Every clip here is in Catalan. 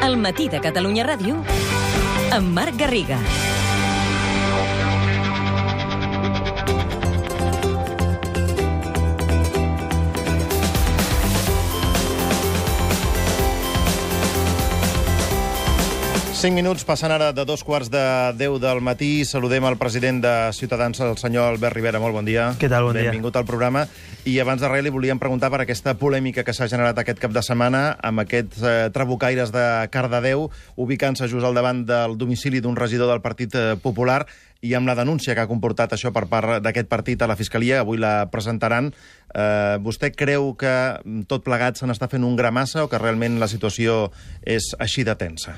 El matí de Catalunya Ràdio amb Marc Garriga. Cinc minuts passen ara de 2:45 del matí. Saludem el president de Ciutadans, el senyor Albert Rivera. Molt bon dia. Què tal? Bon dia. Benvingut al programa. I abans de res li volíem preguntar per aquesta polèmica que s'ha generat aquest cap de setmana amb aquests trabucaires de Cardedeu ubicant-se just al davant del domicili d'un regidor del Partit Popular i amb la denúncia que ha comportat això per part d'aquest partit a la Fiscalia. Avui la presentaran. Vostè creu que tot plegat se n'està fent un gra massa o que realment la situació és així de tensa?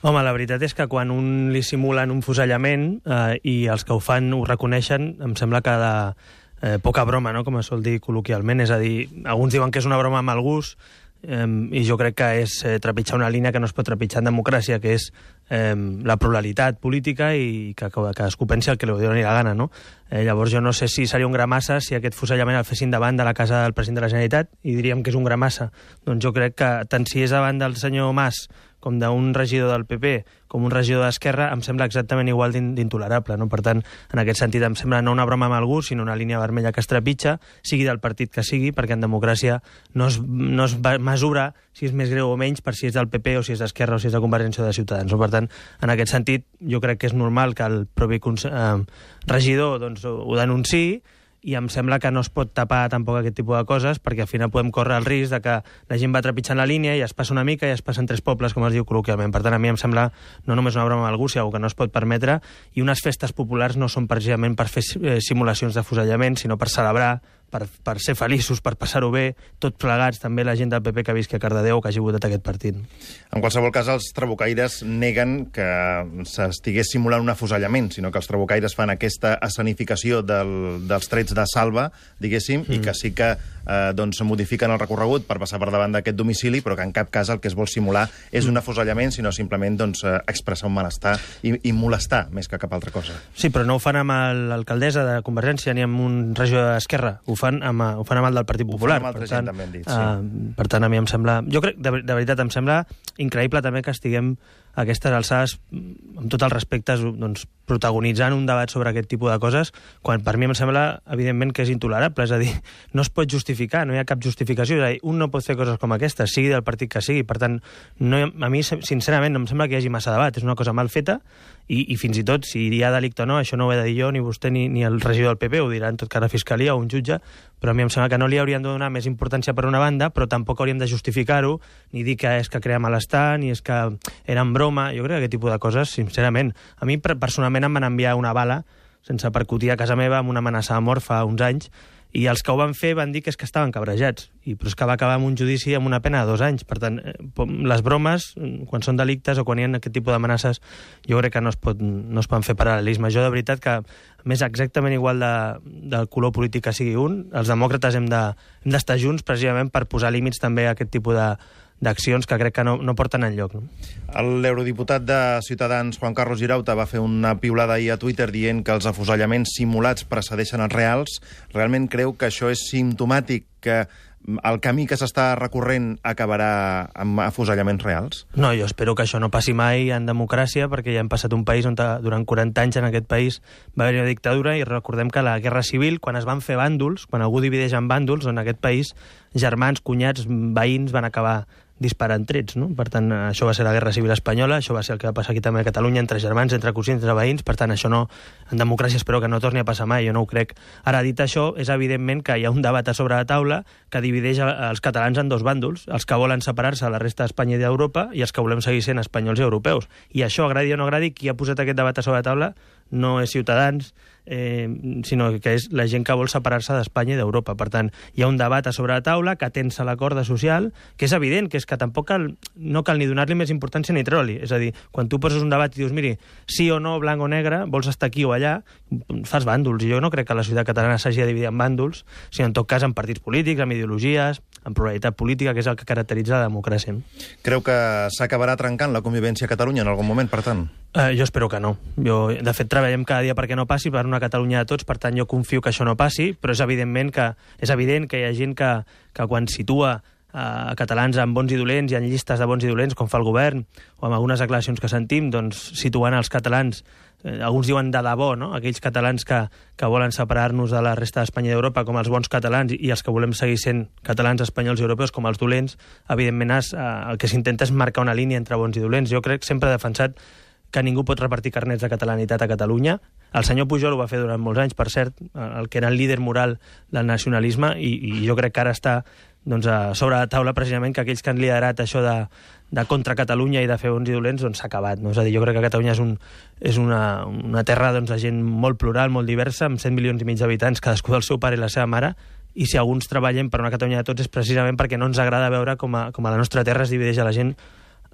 Home, la veritat és que quan un li simulen un fusellament i els que ho fan ho reconeixen, em sembla que de poca broma, no?, com es sol dir col·loquialment. És a dir, alguns diuen que és una broma amb el gust i jo crec que és trepitjar una línia que no es pot trepitjar en democràcia, que és la pluralitat política i que cadascú pensi el que li doni la gana, no? Llavors jo no sé si seria un gra massa si aquest fusellament el fessin davant de la casa del president de la Generalitat i diríem que és un gra massa. Doncs jo crec que tant si és davant del senyor Mas com d'un regidor del PP, com un regidor d'Esquerra, em sembla exactament igual d'intolerable, no? Per tant, en aquest sentit, em sembla no una broma amb el gust, sinó una línia vermella que es trepitja, sigui del partit que sigui, perquè en democràcia no es mesura si és més greu o menys per si és del PP o si és d'Esquerra o si és de Convergència o de Ciutadans. Per tant, en aquest sentit, jo crec que és normal que el propi regidor doncs, ho denunciï, i em sembla que no es pot tapar tampoc aquest tipus de coses, perquè al final podem córrer el risc de que la gent va trepitjant la línia i es passa una mica i es passen tres pobles, com es diu col·loquialment. Per tant, a mi em sembla no només una broma amb el gust, sinó que no es pot permetre, i unes festes populars no són precisament per fer simulacions de fusellament, sinó per celebrar, per ser feliços, per passar-ho bé, tots plegats, també la gent del PP que visqui a Cardedeu o que hagi votat aquest partit. En qualsevol cas, els trabucaires neguen que s'estigués simulant un afusellament, sinó que els trabucaires fan aquesta escenificació dels trets de salva, diguéssim, i que sí que doncs modifiquen el recorregut per passar per davant d'aquest domicili, però que en cap cas el que es vol simular és un afusellament, sinó simplement doncs, expressar un malestar i molestar més que cap altra cosa. Sí, però no ho fan amb l'alcaldessa de Convergència ni amb un regidor d'Esquerra, ho fan amb el del Partit Popular. Ho fan amb altra gent, també han dit, sí. Per tant, a mi em sembla... Jo crec, de veritat, em sembla increïble també que estiguem a aquestes alçades, amb tot el respecte, doncs, protagonitzant un debat sobre aquest tipus de coses, quan per mi em sembla, evidentment, que és intolerable. És a dir, no es pot justificar, no hi ha cap justificació. És a dir, un no pot fer coses com aquestes, sigui del partit que sigui. Per tant, a mi, sincerament, no em sembla que hi hagi massa debat. És una cosa mal feta i fins i tot, si hi ha delicte o no, això no ho he de dir jo, ni vostè ni el regidor del PP, ho dirà en tot cas la Fiscalia o un jutge, però a mi em sembla que no li hauríem de donar més importància per una banda, però tampoc hauríem de justificar-ho, ni dir que és que crea malestar, ni és que era en broma. Jo crec que aquest tipus de coses, sincerament, a mi personalment em van enviar una bala sense percutir a casa meva amb una amenaça de mort fa uns anys, i els que ho van fer van dir que és que estaven cabrejats, però és que va acabar amb un judici amb una pena de 2 anys. Per tant, les bromes, quan són delictes o quan hi ha aquest tipus d'amenaces, jo crec que no es poden fer paral·lelisme. Jo, de veritat, que més exactament igual del color polític que sigui un, els demòcrates hem d'estar junts precisament per posar límits també a aquest tipus d'accions que crec que no porten enlloc. No? L'eurodiputat de Ciutadans, Juan Carlos Girauta, va fer una piulada ahir a Twitter dient que els afusellaments simulats precedeixen els reals. Realment creu que això és simptomàtic, que el camí que s'està recorrent acabarà amb afusellaments reals? No, jo espero que això no passi mai en democràcia, perquè ja hem passat un país on durant 40 anys en aquest país va haver una dictadura, i recordem que la Guerra Civil, quan es van fer bàndols, quan algú divideix en bàndols, en aquest país germans, cunyats, veïns van acabar disparant trets, no? Per tant, això va ser la Guerra Civil espanyola, això va ser el que va passar aquí també a Catalunya, entre germans, entre cosins, entre veïns. Per tant, això no, en democràcia espero que no torni a passar mai, jo no ho crec. Ara, dit això, és evidentment que hi ha un debat a sobre la taula que divideix els catalans en 2 bàndols, els que volen separar-se de la resta d'Espanya i d'Europa i els que volem seguir sent espanyols i europeus. I això, agradi o no agradi, qui ha posat aquest debat a sobre la taula no és Ciutadans, sinó que és la gent que vol separar-se d'Espanya i d'Europa. Per tant, hi ha un debat a sobre la taula que tensa la corda social, que és evident, que és que tampoc no cal ni donar-li més importància ni treure-li. És a dir, quan tu poses un debat i dius, miri, sí o no, blanc o negre, vols estar aquí o allà, fas bàndols. I jo no crec que la societat catalana s'hagi de dividir en bàndols, sinó en tot cas en partits polítics, en ideologies, en pluralitat política, que és el que caracteritza la democràcia. Creu que s'acabarà trencant la convivència a Catalunya en algun moment, per tant? Jo espero que no. De fet, treballem cada dia perquè no passi, per una Catalunya de tots, per tant jo confio que això no passi, però és evident que hi ha gent que quan situa catalans amb bons i dolents i en llistes de bons i dolents, com fa el govern, o amb algunes declaracions que sentim, doncs situant els catalans, alguns diuen de debò, no? Aquells catalans que volen separar-nos de la resta d'Espanya i d'Europa com els bons catalans i els que volem seguir sent catalans, espanyols i europeus com els dolents, evidentment el que s'intenta és marcar una línia entre bons i dolents. Jo crec, sempre he defensat que ningú pot repartir carnets de catalanitat a Catalunya. El senyor Pujol ho va fer durant molts anys, per cert, el que era el líder moral del nacionalisme, i jo crec que ara està sobre la taula precisament que aquells que han liderat això de contra Catalunya i de fer bons i dolents s'ha acabat. No? És a dir, jo crec que Catalunya és una terra de gent molt plural, molt diversa, amb 100 milions i mig d'habitants, cadascú del seu pare i la seva mare, i si alguns treballem per una Catalunya de tots és precisament perquè no ens agrada veure com a la nostra terra es divideix a la gent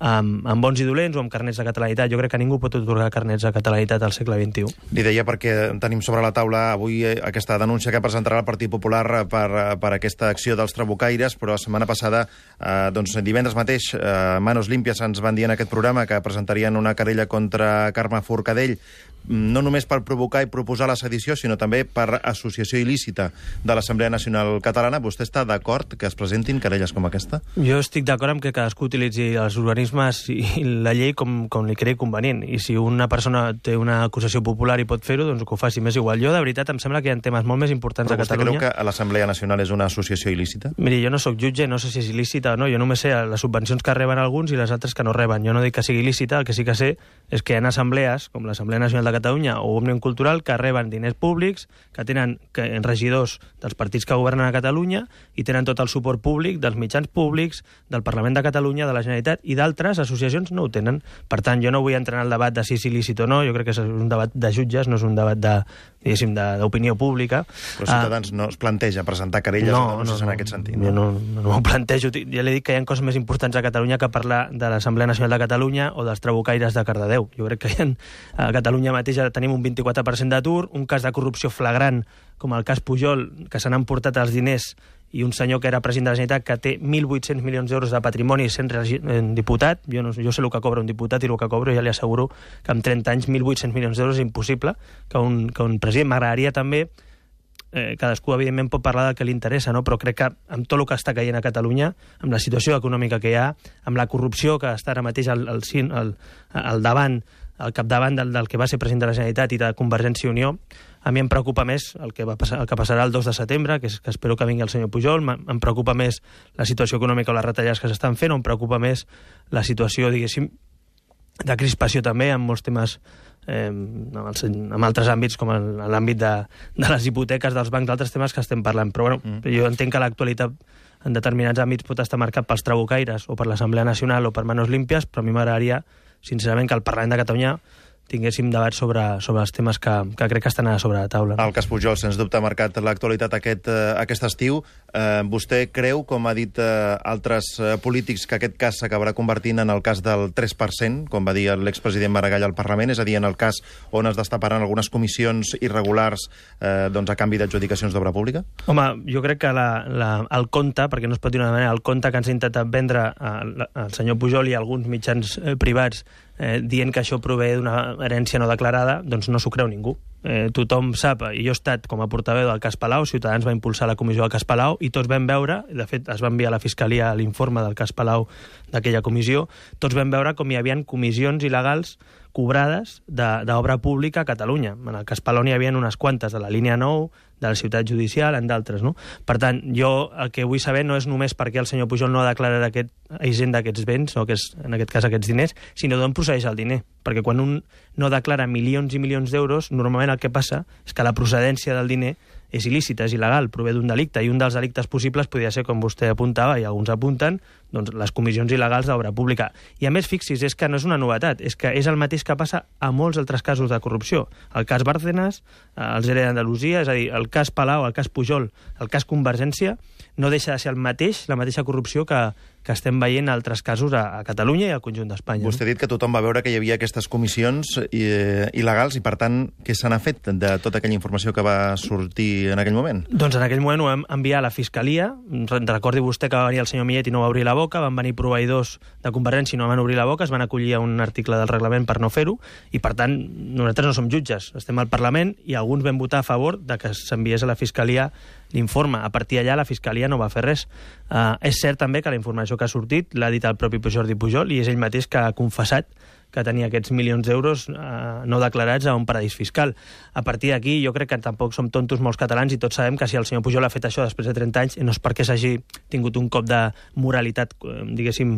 amb bons i dolents o amb carnets de catalanitat. Jo crec que ningú pot atorgar carnets de catalanitat al segle XXI. Li deia perquè tenim sobre la taula avui aquesta denúncia que presentarà el Partit Popular per aquesta acció dels trabucaires, però la setmana passada, divendres mateix, Manos Limpias ens van dir en aquest programa que presentarien una querella contra Carme Forcadell, no només per provocar i proposar la sedició, sinó també per associació il·lícita de l'Assemblea Nacional Catalana. Vostè està d'acord que es presentin querelles com aquesta? Jo estic d'acord amb que cadascú utilitzi els organismes i la llei com li cregui convenient. I si una persona té una acusació popular i pot fer-ho, doncs que ho faci. Més igual. Jo, de veritat, em sembla que hi ha temes molt més importants a Catalunya. Però vostè creu que l'Assemblea Nacional és una associació il·lícita? Miri, jo no sóc jutge, no sé si és il·lícita o no. Jo només sé les subvencions que reben alguns i les altres que no reben. Jo no dic que sigui il·lícita, el que sí que sé és que hi ha assemblees, com l'Assemblea Nacional de Catalunya o Òmnium Cultural, que reben diners públics, que tenen regidors dels partits que governen a Catalunya i tenen tot el suport públic dels mitjans públics, del Parlament de Catalunya, de la Generalitat, i d'altres associacions no ho tenen. Per tant, jo no vull entrar en el debat de si és il·lícit o no, jo crec que és un debat de jutges, no és un debat d'opinió pública. Però Ciutadans no es planteja presentar querelles o denúncies en aquest sentit? Jo no m'ho plantejo. Ja li dic que hi ha coses més importants a Catalunya que parlar de l'Assemblea Nacional de Catalunya o dels trabucaires de Cardedeu. Jo crec que a Catalunya mateix tenim un 24% d'atur, un cas de corrupció flagrant, com el cas Pujol, que se n'han portat els diners, i un senyor que era president de la Generalitat que té 1.800 milions d'euros de patrimoni sent diputat. Jo sé el que cobra un diputat i el que cobro, ja li asseguro que amb 30 anys 1.800 milions d'euros és impossible que un president. M'agradaria també, cadascú evidentment pot parlar del que li interessa, no? Però crec que amb tot el que està caient a Catalunya, amb la situació econòmica que hi ha, amb la corrupció que està ara mateix al capdavant del que va ser president de la Generalitat i de Convergència i Unió, a mi em preocupa més el que passarà el 2 de setembre, que espero que vingui el senyor Pujol. Em preocupa més la situació econòmica o les retallades que s'estan fent, o em preocupa més la situació, diguéssim, de crispació també en molts temes, en altres àmbits, com en l'àmbit de les hipoteques dels bancs, d'altres temes que estem parlant. Però jo entenc que l'actualitat en determinats àmbits pot estar marcat pels trabucaires o per l'Assemblea Nacional o per Manos Limpias, però a mi m'agradaria, sincerament, que el Parlament de Catalunya tinguéssim debat sobre els temes que crec que estan a sobre la taula. El cas Pujol, sens dubte, ha marcat l'actualitat aquest estiu. Vostè creu, com ha dit altres polítics, que aquest cas s'acabarà convertint en el cas del 3%, com va dir l'expresident Maragall al Parlament, és a dir, en el cas on es destaparan algunes comissions irregulars a canvi d'adjudicacions d'obra pública? Home, jo crec que el compte, perquè no es pot dir d'una manera, el compte que ens ha intentat vendre el senyor Pujol i alguns mitjans privats dient que això prové d'una herència no declarada, doncs no s'ho creu ningú. Tothom sap, i jo he estat com a portaveu del cas Palau, Ciutadans va impulsar la comissió del cas Palau, i tots vam veure, de fet es va enviar a la Fiscalia l'informe del cas Palau d'aquella comissió, tots vam veure com hi havia comissions il·legals cobrades d'obra pública a Catalunya. En el cas Palau n'hi havia unes quantes, de la línia 9, de la ciutat judicial, en d'altres, no? Per tant, jo el que vull saber no és només per què el senyor Pujol no ha declarat aquest agent d'aquests béns, o en aquest cas aquests diners, sinó d'on procedeix el diner. Perquè quan un no declara milions i milions d'euros, normalment el que passa és que la procedència del diner és il·lícita, és il·legal, prové d'un delicte, i un dels delictes possibles podria ser, com vostè apuntava, i alguns apunten, doncs les comissions il·legals d'obra pública. I a més, fixi's, és que no és una novetat, és que és el mateix que passa a molts altres casos de corrupció. El cas Bárcenas, el ERE d'Andalusia, és a dir, el cas Palau, el cas Pujol, el cas Convergència, no deixa de ser la mateixa corrupció que estem veient en altres casos a Catalunya i al conjunt d'Espanya. Vostè ha dit que tothom va veure que hi havia aquestes comissions il·legals i, per tant, què se n'ha fet de tota aquella informació que va sortir en aquell moment? Doncs en aquell moment ho vam enviar a la Fiscalia. Recordi vostè que va venir el senyor Millet i no va obrir la boca, van venir proveïdors de Convergència i no van obrir la boca, es van acollir a un article del reglament per no fer-ho, i per tant nosaltres no som jutges, estem al Parlament i alguns vam votar a favor de que s'enviés a la Fiscalia l'informe. A partir d'allà la Fiscalia no va fer res. És cert també que la informació que ha sortit l'ha dit el propi Jordi Pujol i és ell mateix que ha confessat que tenia aquests milions d'euros no declarats a un paradís fiscal. A partir d'aquí jo crec que tampoc som tontos molts catalans i tots sabem que si el senyor Pujol ha fet això després de 30 anys no és perquè s'hagi tingut un cop de moralitat, diguéssim,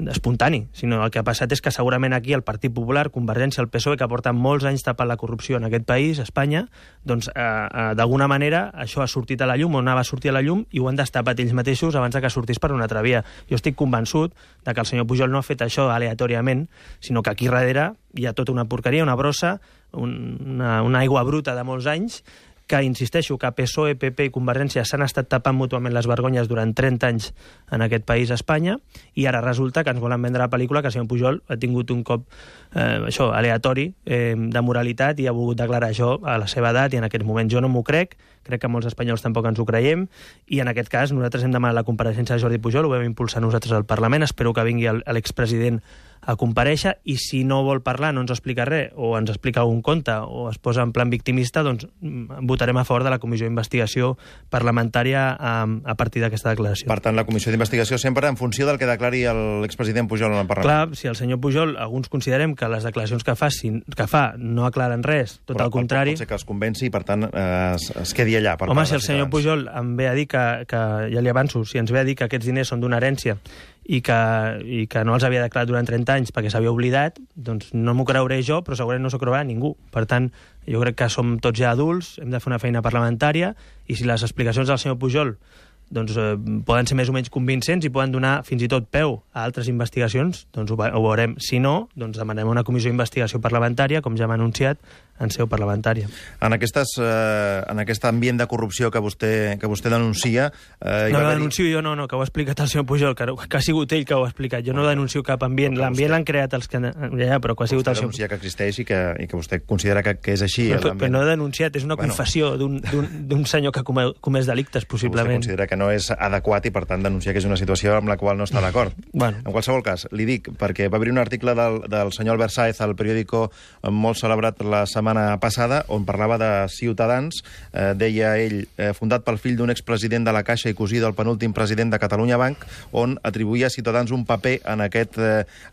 espontani, sinó el que ha passat és que segurament aquí el Partit Popular, Convergència, el PSOE, que porten molts anys tapant la corrupció en aquest país, Espanya, doncs d'alguna manera això ha sortit a la llum o anava a sortir a la llum i ho han destapat ells mateixos abans de que sortís per una altra via. Jo estic convençut de que el senyor Pujol no ha fet això aleatòriament, sinó que aquí darrere hi ha tota una porqueria, una brossa, una aigua bruta de molts anys, que, insisteixo, que PSOE, PP i Convergència s'han estat tapant mútuament les vergonyes durant 30 anys en aquest país, Espanya, i ara resulta que ens volen vendre la pel·lícula que el senyor Pujol ha tingut un cop aleatori de moralitat i ha volgut declarar això a la seva edat i en aquest moment. Jo no m'ho crec que molts espanyols tampoc ens ho creiem, i en aquest cas nosaltres hem demanat la compareixença de Jordi Pujol, ho vam impulsar nosaltres al Parlament, espero que vingui l'expresident a comparèixer, i si no vol parlar, no ens explica res, o ens explica algun conte, o es posa en plan victimista, doncs votarem a favor de la comissió d'investigació parlamentària a partir d'aquesta declaració. Per tant, la comissió d'investigació sempre en funció del que declari l'expresident Pujol en el Parlament. Clar, si el senyor Pujol, alguns considerem que les declaracions que fa no aclaren res, tot el contrari... Pot ser que els convenci i, per tant, es quedi allà. Home, si el senyor Pujol em ve a dir que ja li avanço, si ens ve a dir que aquests diners són d'una herència i que no els havia declarat durant 30 anys perquè s'havia oblidat, doncs no m'ho creuré jo, però segurament no s'ho creurà ningú. Per tant, jo crec que som tots ja adults, hem de fer una feina parlamentària, i si les explicacions del senyor Pujol doncs, poden ser més o menys convincents i poden donar fins i tot peu a altres investigacions, doncs ho veurem. Si no, doncs demanem una comissió d'investigació parlamentària, com ja hem anunciat, en seu parlamentària. En aquest ambient de corrupció que vostè denuncia... No ho denuncio jo, no, que ho ha explicat el senyor Pujol, que ha sigut ell que ho ha explicat. Jo no denuncio cap ambient. L'ambient l'han creat els que... Ja, però que ha sigut el senyor... Vostè denuncia que existeix i que vostè considera que és així. Però no he denunciat, és una confessió d'un senyor que ha comès delictes, possiblement. Vostè considera que no és adequat i, per tant, denunciar que és una situació amb la qual no està d'acord. En qualsevol cas, li dic, perquè va haver un article del senyor Albert Sáez al periòdico molt celebrat la setmana passada, on parlava de Ciutadans, deia ell, fundat pel fill d'un expresident de la Caixa i cosí del penúltim president de Catalunya Banc, on atribuïa a Ciutadans un paper en aquest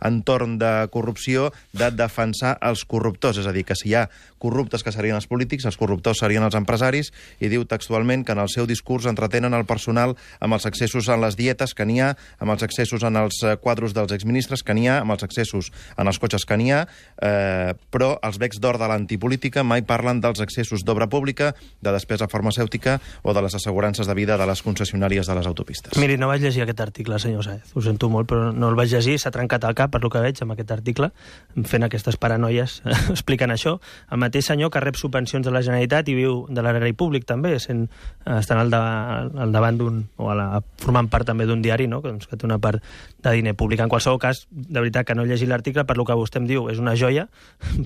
entorn de corrupció de defensar els corruptors. És a dir, que si hi ha corruptes que serien els polítics, els corruptors serien els empresaris, i diu textualment que en el seu discurs entretenen el personal amb els excessos en les dietes que n'hi ha, amb els excessos en els quadros dels exministres que n'hi ha, amb els excessos en els cotxes que n'hi ha, però els becs d'or de l'antipolítica mai parlen dels excessos d'obra pública, de despesa farmacèutica o de les assegurances de vida de les concessionàries de les autopistes. Miri, no vaig llegir aquest article, senyor Sáez. Ho sento molt, però no el vaig llegir. S'ha trencat el cap, per lo que veig, amb aquest article, fent aquestes paranoies, explicant això. El mateix senyor que rep subvencions de la Generalitat i viu de l'erari públic, també, estant al davant d'un... o formant part també d'un diari, no?, que té una part de diner públic. En qualsevol cas, de veritat que no he llegit l'article, per lo que vostè em diu, és una joia,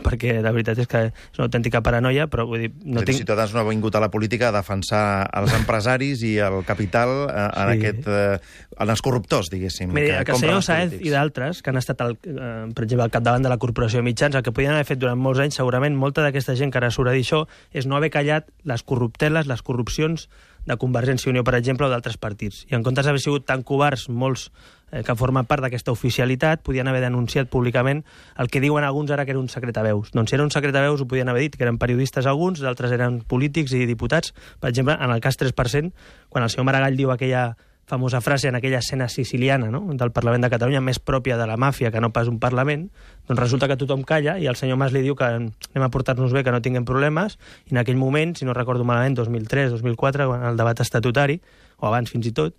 perquè de veritat és que és una autèntica paranoia, però vull dir... Ciutadans no ha vingut a la política a defensar els empresaris i el capital en els corruptors, diguéssim. Mira, que el senyor Sáez i d'altres, que han estat, per exemple, al capdavant de la Corporació de Mitjans, el que podien haver fet durant molts anys, segurament, molta d'aquesta gent que ara surt a dir això, és no haver callat les corrupteles, les corrupcions de Convergència i Unió, per exemple, o d'altres partits. I en comptes d'haver sigut tan covards, molts que formen part d'aquesta oficialitat, podien haver denunciat públicament el que diuen alguns ara que era un secret a veus. Doncs si era un secret a veus ho podien haver dit, que eren periodistes alguns, d'altres eren polítics i diputats. Per exemple, en el cas 3%, quan el senyor Maragall diu aquella famosa frase en aquella escena siciliana, no?, del Parlament de Catalunya, més pròpia de la màfia que no pas un Parlament, doncs resulta que tothom calla i el senyor Mas li diu que anem a portar-nos bé, que no tinguem problemes, i en aquell moment, si no recordo malament, 2003, 2004, quan el debat estatutari, o abans fins i tot,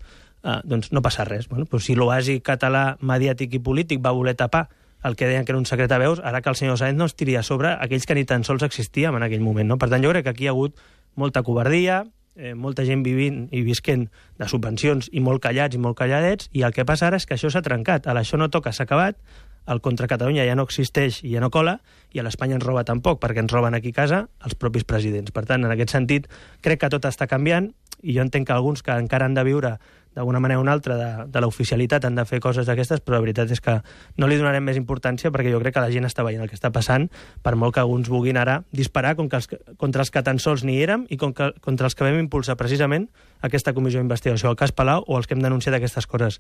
doncs no passa res. Bueno, però si l'oasi català mediàtic i polític va voler tapar el que deien que era un secret a veus, ara que el senyor Sáenz no es tiria a sobre aquells que ni tan sols existíem en aquell moment, no? Per tant, jo crec que aquí hi ha hagut molta covardia, molta gent vivint i visquent de subvencions i molt callats i molt calladets, i el que passa ara és que això s'ha trencat. Ara això no toca, s'ha acabat, el contra Catalunya ja no existeix i ja no cola, i a l'Espanya ens roba tampoc, perquè ens roben aquí a casa els propis presidents. Per tant, en aquest sentit, crec que tot està canviant, i jo entenc que alguns que encara han de viure d'alguna manera o una altra, de l'oficialitat, han de fer coses d'aquestes, però la veritat és que no li donarem més importància perquè jo crec que la gent està veient el que està passant, per molt que alguns vulguin ara disparar contra els que tan sols ni érem i contra els que vam impulsar precisament aquesta comissió d'investigació, el cas Palau o els que hem denunciat aquestes coses.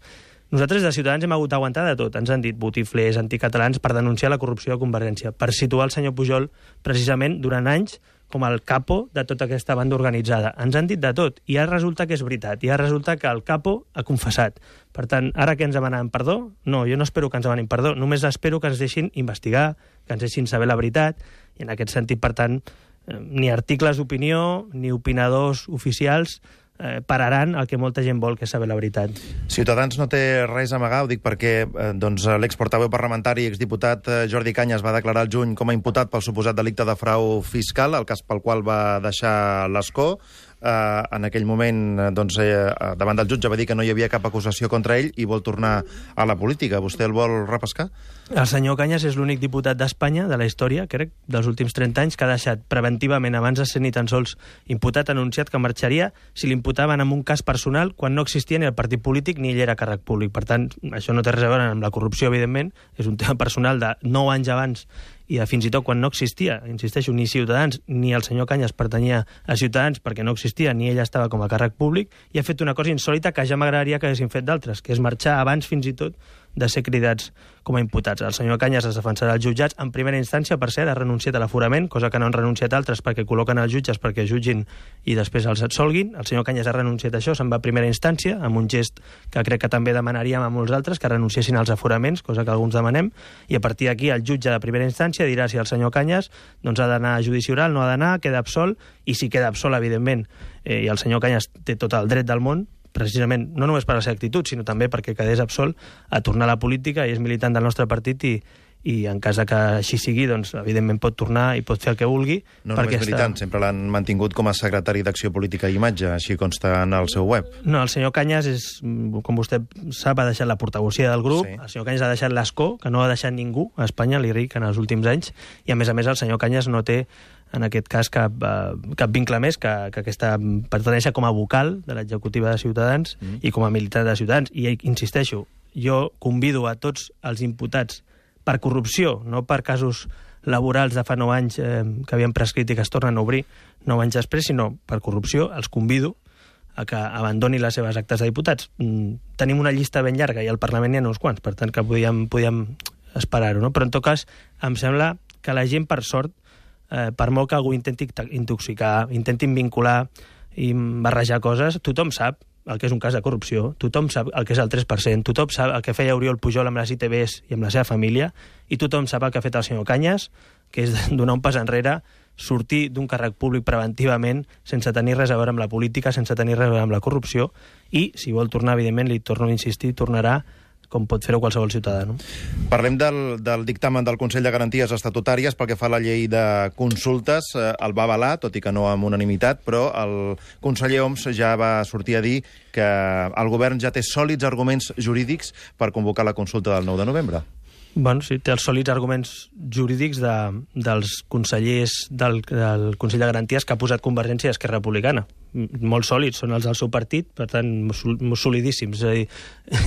Nosaltres de Ciutadans hem hagut d'aguantar de tot. Ens han dit botiflers, anticatalans, per denunciar la corrupció de Convergència, per situar el senyor Pujol precisament durant anys com el capo de tota aquesta banda organitzada. Ens han dit de tot, i ara resulta que és veritat, i ara resulta que el capo ha confessat. Per tant, ara que ens demanen perdó? No, jo no espero que ens demanin perdó, només espero que ens deixin investigar, que ens deixin saber la veritat, i en aquest sentit, per tant, ni articles d'opinió, ni opinadors oficials pararan el que molta gent vol, que és saber la veritat. Ciutadans no té res a amagar, ho dic perquè l'exportaveu parlamentari i exdiputat Jordi Cañas va declarar al juny com a imputat pel suposat delicte de frau fiscal, el cas pel qual va deixar l'escó. En aquell moment, davant del jutge va dir que no hi havia cap acusació contra ell i vol tornar a la política. Vostè el vol repescar? El senyor Cañas és l'únic diputat d'Espanya, de la història, crec, dels últims 30 anys, que ha deixat preventivament, abans de ser ni tan sols imputat, anunciat que marxaria si l'imputaven en un cas personal quan no existia ni el partit polític ni ell era càrrec públic. Per tant, això no té res a veure amb la corrupció, evidentment, és un tema personal de 9 anys abans i de fins i tot quan no existia, insisteixo, ni Ciutadans ni el senyor Cañas pertanyia a Ciutadans perquè no existia, ni ell estava com a càrrec públic, i ha fet una cosa insòlita que ja m'agradaria que haguessin fet d'altres, que és marxar abans fins i tot de ser cridats com a imputats. El senyor Cañas es defensarà als jutjats en primera instància, per cert, ha renunciat a l'aforament, cosa que no han renunciat altres perquè col·loquen els jutges perquè jutgin i després els absolguin. El senyor Cañas ha renunciat a això, se'n va a primera instància, amb un gest que crec que també demanaríem a molts altres, que renunciessin als aforaments, cosa que alguns demanem, i a partir d'aquí el jutge de primera instància dirà si el senyor Cañas ha d'anar a judici oral, no ha d'anar, queda absolt, i si queda absolt, evidentment, i el senyor Cañas té tot el dret del món, precisament, no només per la seva actitud, sinó també perquè quedés absolt, a tornar a la política, i és militant del nostre partit, i en cas que així sigui, doncs, evidentment pot tornar i pot fer el que vulgui. No només militant, sempre l'han mantingut com a secretari d'Acció Política i Imatge, així consta en el seu web. No, el senyor Cañas és, com vostè sap, ha deixat la portavocía del grup, sí. El senyor Cañas ha deixat l'escó, que no ha deixat ningú a Espanya, li dic, en els últims anys, i a més el senyor Cañas no té en aquest cas cap vincle més que aquesta pertanència com a vocal de l'executiva de Ciutadans i com a militant de Ciutadans. I insisteixo, jo convido a tots els imputats per corrupció, no per casos laborals de fa 9 anys que havien prescrit i que es tornen a obrir 9 anys després, sinó per corrupció, els convido a que abandonin les seves actes de diputats. Tenim una llista ben llarga i al Parlament n'hi ha uns quants, per tant que podíem esperar-ho, no? Però en tot cas em sembla que la gent, per sort, per molt que algú intenti intoxicar, intentin vincular i barrejar coses, tothom sap el que és un cas de corrupció, tothom sap el que és el 3%, tothom sap el que feia Oriol Pujol amb les ITVs i amb la seva família, i tothom sap el que ha fet el senyor Cañas, que és donar un pas enrere, sortir d'un càrrec públic preventivament sense tenir res a veure amb la política, sense tenir res a veure amb la corrupció, i si vol tornar, evidentment, li torno a insistir, tornarà com pot fer-ho qualsevol ciutadà. No? Parlem del dictamen del Consell de Garanties Estatutàries pel que fa a la llei de consultes. El va avalar, tot i que no amb unanimitat, però el conseller Homs ja va sortir a dir que el govern ja té sòlids arguments jurídics per convocar la consulta del 9 de novembre. Bueno, sí, té els sòlids arguments jurídics dels consellers del Consell de Garanties que ha posat Convergència i Esquerra Republicana. Molt sòlids, són els del seu partit, per tant, solidíssims. És a dir,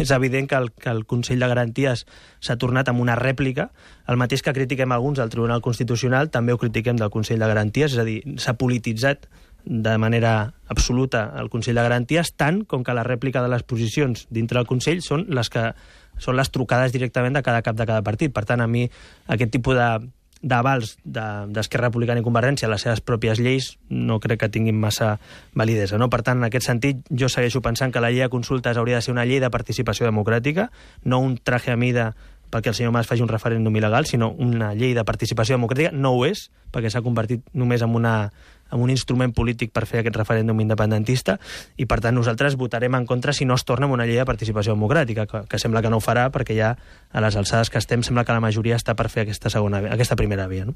és evident que el Consell de Garanties s'ha tornat amb una rèplica. El mateix que critiquem alguns del Tribunal Constitucional, també ho critiquem del Consell de Garanties, és a dir, s'ha polititzat de manera absoluta el Consell de Garanties, tant com que la rèplica de les posicions dintre del Consell són les trucades directament de cada cap de cada partit. Per tant, a mi aquest tipus d'avals d'Esquerra Republicana i Convergència a les seves pròpies lleis no crec que tinguin massa validesa. No? Per tant, en aquest sentit, jo segueixo pensant que la llei de consultes hauria de ser una llei de participació democràtica, no un traje a mida perquè el senyor Mas faci un referèndum il·legal, sinó una llei de participació democràtica. No ho és, perquè s'ha convertit només en un instrument polític per fer aquest referèndum independentista, i per tant nosaltres votarem en contra si no es torna amb una llei de participació democràtica, que sembla que no ho farà, perquè ja a les alçades que estem sembla que la majoria està per fer aquesta primera via. No?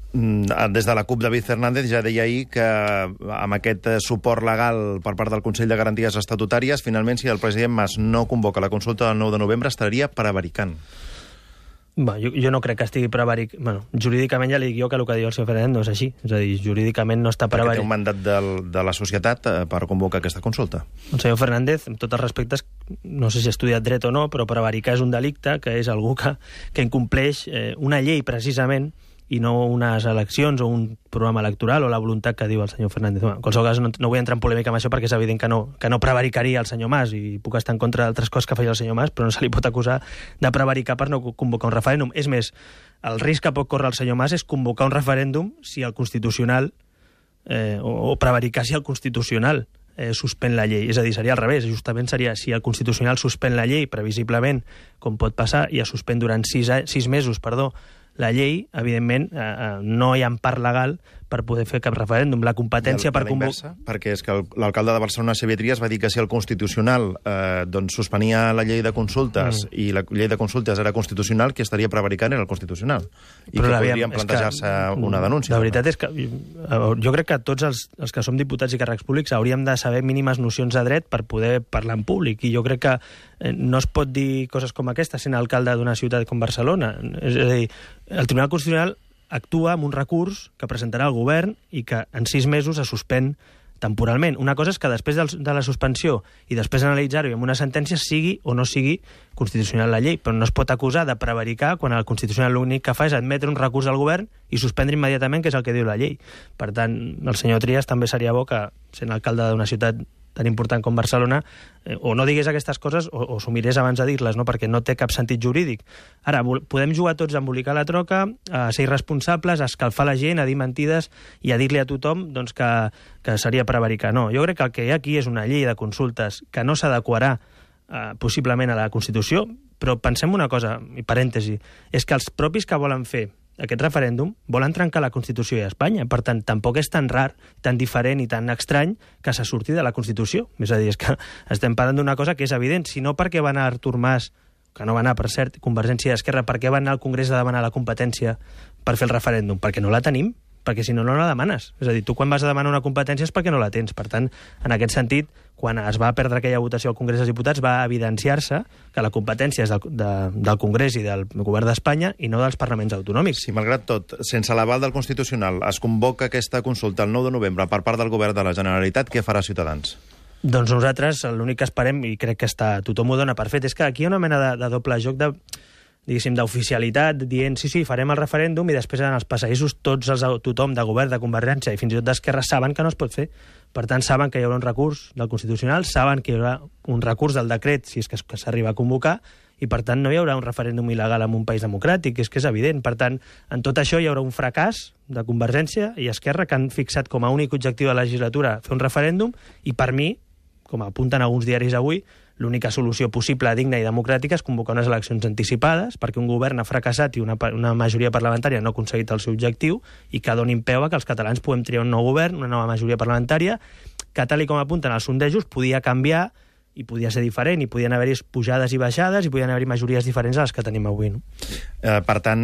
Des de la CUP, David Fernández ja deia ahir que amb aquest suport legal per part del Consell de Garanties Estatutàries, finalment, si el president Mas no convoca la consulta del 9 de novembre, estaria prevaricant. Jo no crec que estigui prevaricant. Bueno, jurídicament ja li dic jo que el que diu el senyor Fernández no és així. És a dir, jurídicament no està prevaricant. Perquè té un mandat de la societat per convocar aquesta consulta. El senyor Fernández, amb tots els respectes, no sé si ha estudiat dret o no, però prevaricar és un delicte, que és algú que incompleix una llei precisament i no unes eleccions o un programa electoral o la voluntat que diu el senyor Fernández. En qualsevol cas, no vull entrar en polèmica amb això perquè és evident que no prevaricaria el senyor Mas i puc estar en contra d'altres coses que feia el senyor Mas, però no se li pot acusar de prevaricar per no convocar un referèndum. És més, el risc que pot córrer el senyor Mas és convocar un referèndum si el Constitucional o prevaricar si el Constitucional suspèn la llei. És a dir, seria al revés. Justament seria si el Constitucional suspèn la llei, previsiblement, com pot passar, i es suspèn durant 6 mesos, la llei, evidentment, no hi ha empar legal per poder fer cap referèndum. La competència per convocar... Perquè és que l'alcalde de Barcelona, Xavier Trias, va dir que si el Constitucional doncs suspenia la llei de consultes i la llei de consultes era constitucional, qui estaria prevaricant era el Constitucional. I però que podrien plantejar-se una denúncia. La veritat és que jo crec que tots els que som diputats i càrrecs públics hauríem de saber mínimes nocions de dret per poder parlar en públic. I jo crec que no es pot dir coses com aquesta sent alcalde d'una ciutat com Barcelona. És a dir, el Tribunal Constitucional actua amb un recurs que presentarà el govern i que en 6 mesos es suspèn temporalment. Una cosa és que després de la suspensió i després d'analitzar-ho i amb una sentència sigui o no sigui constitucional la llei, però no es pot acusar de prevaricar quan el Constitucional l'únic que fa és admetre un recurs al govern i suspendre immediatament, que és el que diu la llei. Per tant, el senyor Trias també seria bo que, sent alcalde d'una ciutat tan important com Barcelona, o no digués aquestes coses o s'ho mirés abans de dir-les, no? Perquè no té cap sentit jurídic. Ara, podem jugar tots a embolicar la troca, a ser irresponsables, a escalfar la gent, a dir mentides i a dir-li a tothom doncs, que seria prevaricar. No, jo crec que el que hi ha aquí és una llei de consultes que no s'adequarà possiblement a la Constitució, però pensem una cosa, i parèntesi, és que els propis que volen fer aquest referèndum volen trencar la Constitució i Espanya. Per tant, tampoc és tan rar, tan diferent i tan estrany que se surti de la Constitució. És a dir, és que estem parlant d'una cosa que és evident. Si no, per què va anar Artur Mas, que no va anar, per cert, Convergència i Esquerra, per què va anar al Congrés a demanar la competència per fer el referèndum? Perquè no la tenim, perquè si no, no la demanes. És a dir, tu quan vas a demanar una competència és perquè no la tens. Per tant, en aquest sentit, quan es va perdre aquella votació al Congrés dels Diputats, va evidenciar-se que la competència és del Congrés i del Govern d'Espanya i no dels parlaments autonòmics. Sí, malgrat tot, sense l'aval del Constitucional, es convoca aquesta consulta el 9 de novembre per part del Govern de la Generalitat. Què farà Ciutadans? Doncs nosaltres l'únic que esperem, i crec que tothom ho dona per fet, és que aquí hi ha una mena de doble joc d'oficialitat, dient sí, farem el referèndum i després en els passadissos tothom de govern, de Convergència i fins i tot d'Esquerra saben que no es pot fer. Per tant, saben que hi haurà un recurs del Constitucional, saben que hi haurà un recurs del decret si és que s'arriba a convocar i per tant no hi haurà un referèndum il·legal en un país democràtic, és que és evident. Per tant, en tot això hi haurà un fracàs de Convergència i Esquerra que han fixat com a únic objectiu de la legislatura fer un referèndum i per mi, com apunten alguns diaris avui, l'única solució possible, digna i democràtica és convocar unes eleccions anticipades perquè un govern ha fracassat i una majoria parlamentària no ha aconseguit el seu objectiu i que donin peu a que els catalans puguem triar un nou govern, una nova majoria parlamentària, que tal com apunten els sondejos podia canviar i podia ser diferent, i podien haver-hi pujades i baixades, i podien haver-hi majories diferents a les que tenim avui. No? Per tant,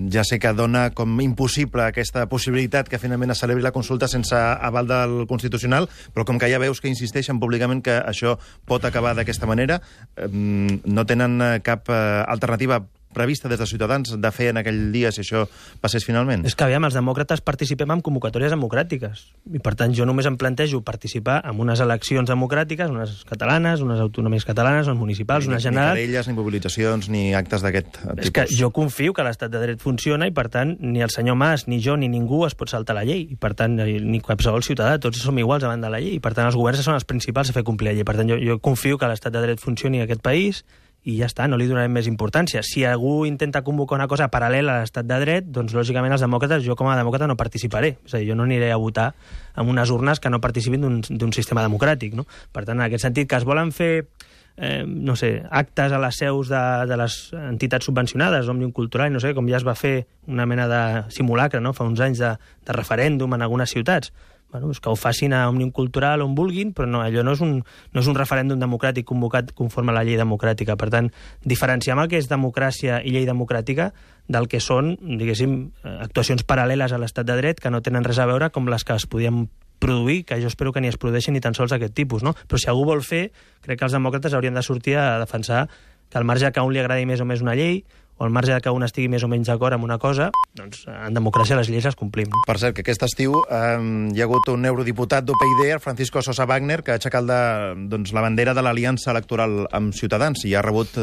ja sé que dona com impossible aquesta possibilitat que finalment es celebri la consulta sense aval del Constitucional, però com que ja veus que insisteixen públicament que això pot acabar d'aquesta manera, no tenen cap alternativa prevista des de Ciutadans de fer en aquell dia si això passés finalment? És que, aviam, els demòcrates participem en convocatòries democràtiques i, per tant, jo només em plantejo participar en unes eleccions democràtiques, unes catalanes, unes autonomies catalanes, unes municipals, unes generals... Ni querelles, ni mobilitzacions, ni actes d'aquest tipus. És que jo confio que l'estat de dret funciona i, per tant, ni el senyor Mas, ni jo, ni ningú es pot saltar la llei. I, per tant, ni qualsevol ciutadà, tots som iguals davant de la llei. I, per tant, els governs són els principals a fer complir la llei. Per tant, jo confio que l'estat de dret funcioni en aquest país i ja està, no li donarem més importància. Si algú intenta convocar una cosa paral·lela a l'estat de dret, doncs lògicament els demòcrates, jo com a demòcrata no participaré. És a dir, jo no aniré a votar en unes urnes que no participin d'un sistema democràtic. No? Per tant, en aquest sentit, que es volen fer actes a les seus de les entitats subvencionades, Òmnium Cultural, no sé, com ja es va fer una mena de simulacre, no? Fa uns anys de referèndum en algunes ciutats. Bueno, que ho facin a Òmnium Cultural on vulguin, però no, allò no és un referèndum democràtic convocat conforme a la llei democràtica. Per tant, diferenciem el que és democràcia i llei democràtica del que són, diguéssim, actuacions paral·leles a l'estat de dret que no tenen res a veure com les que es podien produir, que jo espero que ni es produeixin ni tan sols aquest tipus, no? Però si algú vol fer, crec que els demòcrates haurien de sortir a defensar que al marge que a un li agradi més o més una llei, o al marge que un estigui més o menys d'acord amb una cosa, doncs en democràcia les lleis les complim. Per cert, que aquest estiu hi ha hagut un eurodiputat d'UPyD, el Francisco Sosa Wagner, que ha aixecat la bandera de l'aliança electoral amb Ciutadans i ha rebut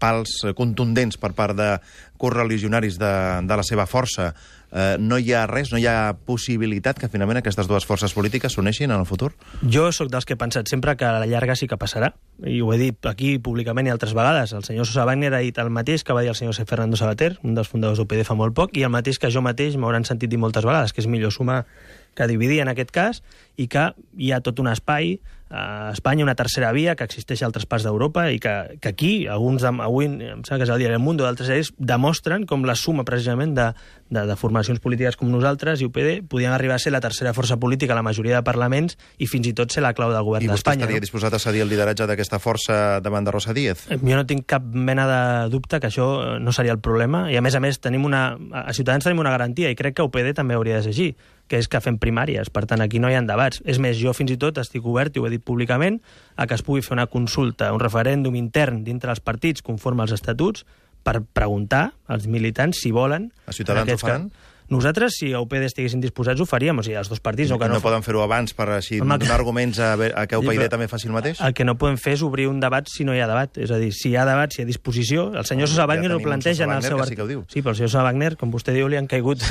pals contundents per part de correligionaris de la seva força. No hi ha res, no hi ha possibilitat que finalment aquestes dues forces polítiques s'uneixin en el futur? Jo sóc dels que he pensat sempre que a la llarga sí que passarà, i ho he dit aquí públicament i altres vegades. El senyor Sosa Wagner ha dit el mateix que va dir el senyor Fernando Savater, un dels fundadors d'UPyD fa molt poc, i el mateix que jo mateix m'hauran sentit dir moltes vegades, que és millor sumar que dividir en aquest cas, i que hi ha tot un espai a Espanya, una tercera via que existeix a altres parts d'Europa i que aquí, avui em sembla que és el diari El Mundo, d'altres diaris, demostren com la suma precisament de formacions polítiques com nosaltres i UPyD podien arribar a ser la tercera força política a la majoria de parlaments i fins i tot ser la clau del govern d'Espanya. I vostè estaria disposat a cedir el lideratge d'aquesta força davant de Rosa Díez? Jo no tinc cap mena de dubte que això no seria el problema, i a més, a Ciutadans tenim una garantia, i crec que UPyD també hauria de ser així, que és que fem primàries, per tant aquí no hi ha debats. És més, jo fins i tot estic obert, i ho he dit públicament, a que es pugui fer una consulta, un referèndum intern dintre els partits conforme als estatuts per preguntar als militants si volen... A Ciutadans ho faran? Nosaltres, si a UPyD estiguessin disposats, ho faríem, o sigui, els dos partits... No poden fer-ho abans per així donar arguments a que UPyD també faci el mateix? El que no podem fer és obrir un debat si no hi ha debat. És a dir, si hi ha debat, si hi ha disposició... El senyor Sosa Wagner ho planteja en el seu article. Sí, però el senyor Sosa Wagner, com vostè diu, li han caigut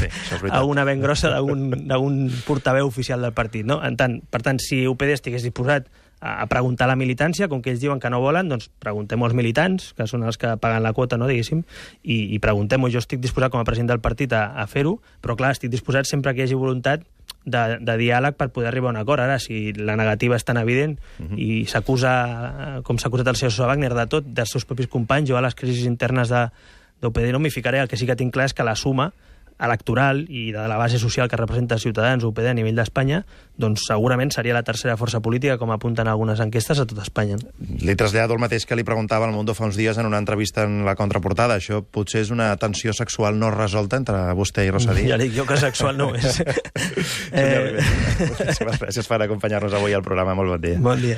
a una ben grossa d'un portaveu oficial del partit. No? Per tant, si UPyD estigués disposat a preguntar a la militància, com que ells diuen que no volen, doncs preguntem-ho als militants, que són els que paguen la quota, no, diguéssim, i preguntem-ho. Jo estic disposat com a president del partit a fer-ho, però clar, estic disposat sempre que hi hagi voluntat de diàleg per poder arribar a un acord. Ara, si la negativa és tan evident i s'acusa, com s'ha acusat el senyor Sosa Wagner, de tot, dels seus propis companys, jo a les crisis internes d'UPyD no m'hi ficaré. El que sí que tinc clar és que la suma electoral i de la base social que representa Ciutadans o UPyD a nivell d'Espanya, doncs segurament seria la tercera força política, com apunten algunes enquestes, a tot Espanya. Li trasllado el mateix que li preguntava al Mundo fa uns dies en una entrevista en la contraportada. Això potser és una tensió sexual no resolta entre vostè i Rosa Díez? Ja dic jo que sexual no és. Moltíssimes gràcies per acompanyar-nos avui al programa. Molt bon dia. Bon dia.